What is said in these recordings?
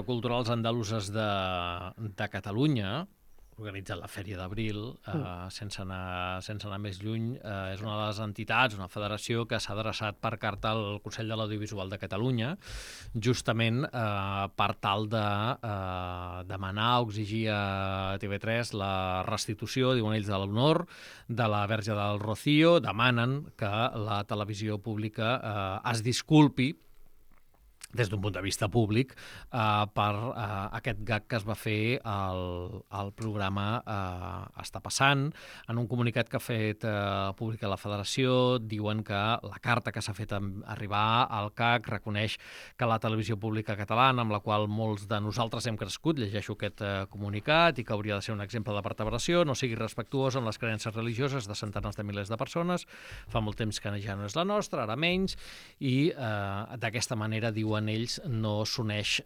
culturals andaluses de Catalunya, organitzat la Fèria d'Abril, sense anar més lluny, és una de les entitats, una federació que s'ha adreçat per carta al Consell de l'Audiovisual de Catalunya, justament per tal de demanar o exigir a TV3 la restitució, diuen ells, de l'honor de la Verge del Rocío. Demanen que la televisió pública es disculpi des d'un punt de vista públic, per aquest gag que es va fer al programa Està passant. En un comunicat que ha fet pública la Federació, diuen que la carta que s'ha fet arribar al CAC reconeix que la televisió pública catalana, amb la qual molts de nosaltres hem crescut, llegeixo aquest comunicat, i que hauria de ser un exemple de vertebració, no sigui respectuosa amb les creences religioses de centenars de milers de persones. Fa molt temps que ja no és la nostra, ara menys, i d'aquesta manera, diuen ells, no s'uneix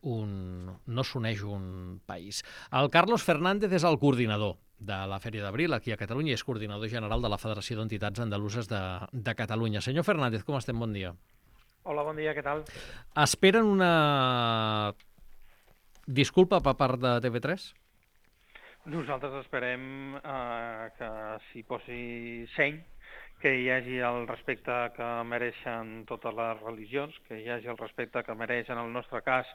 un país. El Carlos Fernández és el coordinador de la Fèria d'Abril aquí a Catalunya i és coordinador general de la Federació d'Entitats Andaluses de Catalunya. Senyor Fernández, com estem? Bon dia. Hola, bon dia, què tal? Esperen una disculpa per part de TV3? Nosaltres esperem que s'hi posi seny, que hi hagi el respecte que mereixen totes les religions, que hi hagi el respecte que mereix, en el nostre cas,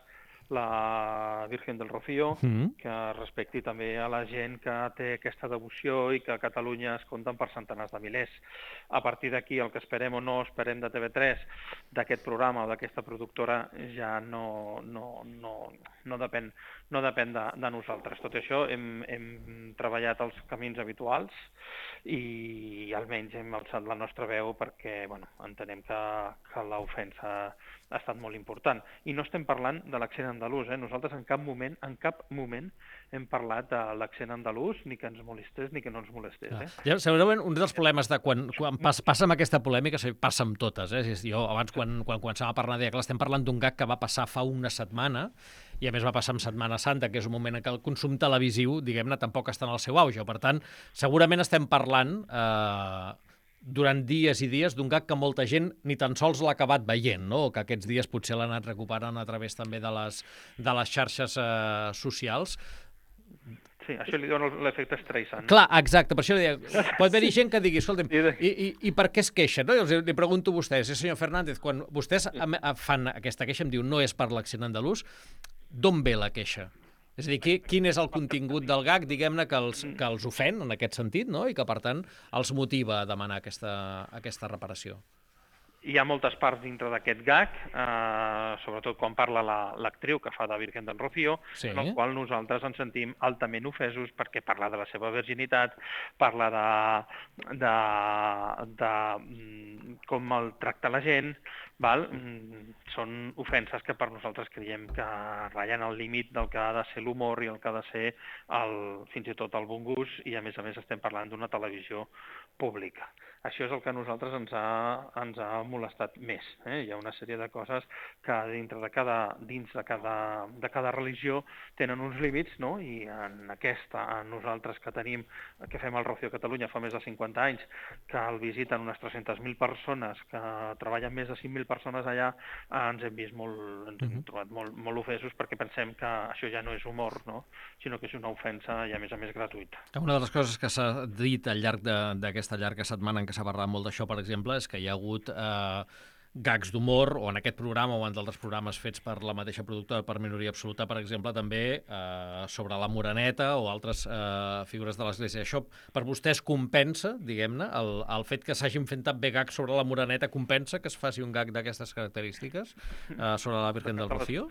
la Virgen del Rocío, que respecti també a la gent que té aquesta devoció i que a Catalunya es compten per centenars de milers. A partir d'aquí, el que esperem o no esperem de TV3, d'aquest programa o d'aquesta productora, ja no depèn de nosaltres. Tot això hem treballat els camins habituals i almenys hem alçat la nostra veu perquè entenem que l'ofensa ha estat molt important. I no estem parlant de l'accent andalús. Nosaltres en cap moment hem parlat de l'accent andalús, ni que ens molestés ni que no ens molestés. Ja, segurament un dels problemes de quan passa amb aquesta polèmica, passa amb totes. Jo abans, quan començàvem a parlar, deia que estem parlant d'un gag que va passar fa una setmana, i a més va passar en Setmana Santa, que és un moment en què el consum televisiu, diguem-ne, tampoc està en el seu auge. Per tant, segurament estem parlant durant dies i dies d'un gag que molta gent ni tan sols l'ha acabat veient, no? O que aquests dies potser l'ha anat recuperant a través també de les xarxes socials. Sí, això li dona l'efecte Streisand. Clar, exacte, per això deia, pot haver-hi gent que digui, escolta'm, i per què es queixa? No? Li pregunto a vostès, senyor Fernández, quan vostès fan aquesta queixa, em diu, no és per l'accent andalús, d'on ve la queixa? És a dir, quin és el contingut del gag, diguem-ne, que els ofèn, en aquest sentit, no? I que, per tant, els motiva a demanar aquesta reparació? Hi ha moltes parts dintre d'aquest gag, sobretot quan parla l'actriu que fa de Virgen del Rocío, en el qual nosaltres ens sentim altament ofesos perquè parla de la seva virginitat, parla de com maltracta la gent, són ofenses que per nosaltres creiem que ratllen al límit del que ha de ser l'humor i el que ha de ser fins i tot el bon gust, i a més estem parlant d'una televisió pública. Això és el que a nosaltres ens ha molestat més. Hi ha una sèrie de coses que dins de cada religió tenen uns límits, no? I en nosaltres que fem el Rocío a Catalunya fa més de 50 anys, que el visiten unes 300.000 persones, que treballen més de 5.000 persones allà, ens hem trobat molt ofesos perquè pensem que això ja no és humor, no? Sinó que és una ofensa i a més gratuïta. Una de les coses que s'ha dit al llarg d'aquesta llarga setmana en què s'ha parlat molt d'això, per exemple, és que hi ha hagut gags d'humor, o en aquest programa o en d'altres programes fets per la mateixa productora, per Minoria Absoluta, per exemple, també sobre la Moreneta o altres figures de l'Església. Això per vostès compensa, diguem-ne, el fet que s'hagin fet també gags sobre la Moreneta, compensa que es faci un gag d'aquestes característiques sobre la Virgen del Rocío?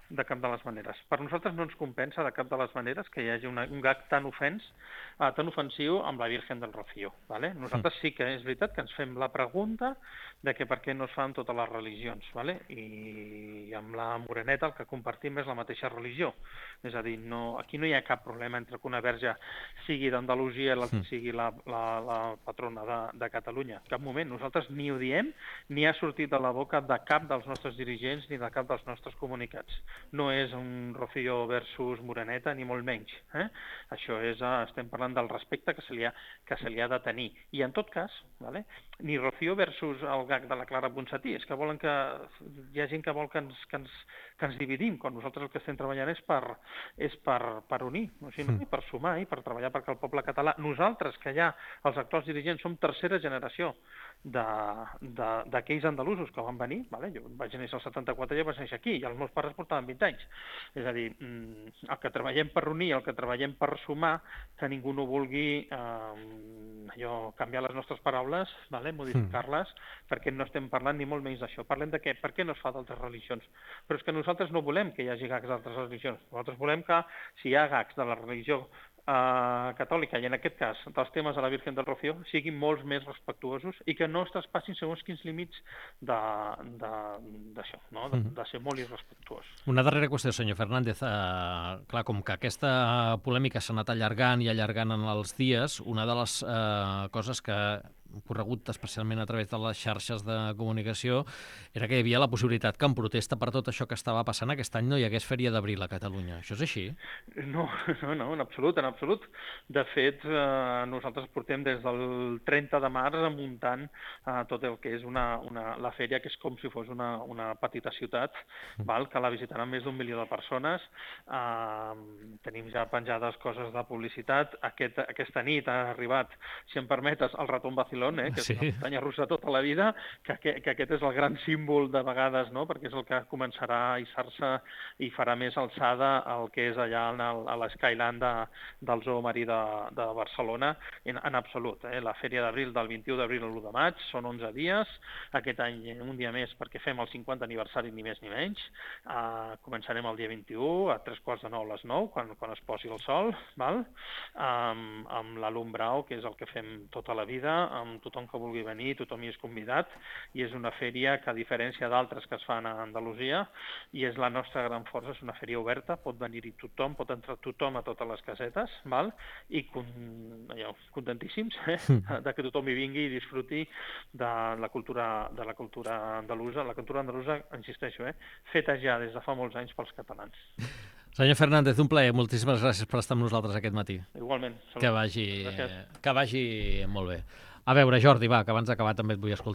De cap de les maneres. Per nosaltres no ens compensa de cap de les maneres que hi hagi un gag tan ofensiu amb la Virgen del Rocío. Nosaltres sí que és veritat que ens fem la pregunta de que per què no es fa amb totes les religions. I amb la Moreneta el que compartim és la mateixa religió. És a dir, aquí no hi ha cap problema entre que una verge sigui d'Andalusia i l'altra sigui la patrona de Catalunya. En cap moment. Nosaltres ni ho diem, ni ha sortit de la boca de cap dels nostres dirigents ni de cap dels nostres comunicats. no és un Rocío versus Moreneta, ni molt menys. Això és, estem parlant del respecte que se li ha de tenir. I en tot cas, vale, ni Rocío versus el gag de la Clara Ponsatí, és que volen que hi ha gent que vol que ens dividim, quan nosaltres el que estem treballant és per unir, o sigui, no? I per sumar i per treballar perquè el poble català, nosaltres que ja els actuals dirigents som tercera generació d'aquells andalusos que van venir, vale? Jo vaig néixer al 74 i jo vaig néixer aquí, i els meus pares portaven 20 anys. És a dir, el que treballem per unir, el que treballem per sumar, que ningú no vulgui canviar les nostres paraules, vale? Modificar-les, perquè no estem parlant ni molt menys d'això. Parlem de què? Per què no es fa d'altres religions? Però és que nosaltres no volem que hi hagi gags d'altres religions. Nosaltres volem que, si hi ha gags de la religió catòlica, i en aquest cas dels temes de la Virgen del Rocío, siguin molts més respectuosos i que no es traspassin segons quins límits d'això, no? De ser molt irrespectuós. Una darrera qüestió, senyor Fernández. Clar, com que aquesta polèmica s'ha anat allargant i allargant en els dies, una de les coses que hem corregut especialment a través de les xarxes de comunicació era que hi havia la possibilitat que en protesta per tot això que estava passant aquest any no hi hagués Fèria d'Abril a Catalunya. Això és així? No, en absolut, en absolut. De fet, nosaltres portem des del 30 de març muntant tot el que és la fèria, que és com si fos una petita ciutat, que la visitaran més d'1 milió de persones. Tenim ja penjades coses de publicitat. Aquesta nit ha arribat, si em permetes, el Ratón Vacilón, que és una muntanya russa tota la vida, que aquest és el gran símbol de vegades, no? Perquè és el que començarà a hissar-se i farà més alçada el que és allà a l'Skyland del Zoo Marí de Barcelona, en absolut. La Fèria d'Abril del 21 d'abril al 1 de maig són 11 dies, aquest any un dia més perquè fem el 50 aniversari ni més ni menys. Començarem el dia 21 a 3:45 a les 9, quan es posi el sol, amb l'alumbrao, que és el que fem tota la vida, amb tothom que vulgui venir, tothom hi és convidat, i és una fèria que, a diferència d'altres que es fan a Andalusia, i és la nostra gran força, és una fèria oberta, pot venir-hi tothom, pot entrar tothom a totes les casetes, i contentíssims de que tothom hi vingui i disfruti de la cultura andalusa. La cultura andalusa, insisteixo, feta ja des de fa molts anys pels catalans. Senyor Fernández, un plaer. Moltíssimes gràcies per estar amb nosaltres aquest matí. Igualment. Que vagi molt bé. A veure, Jordi, va, que abans d'acabar també et vull escoltar.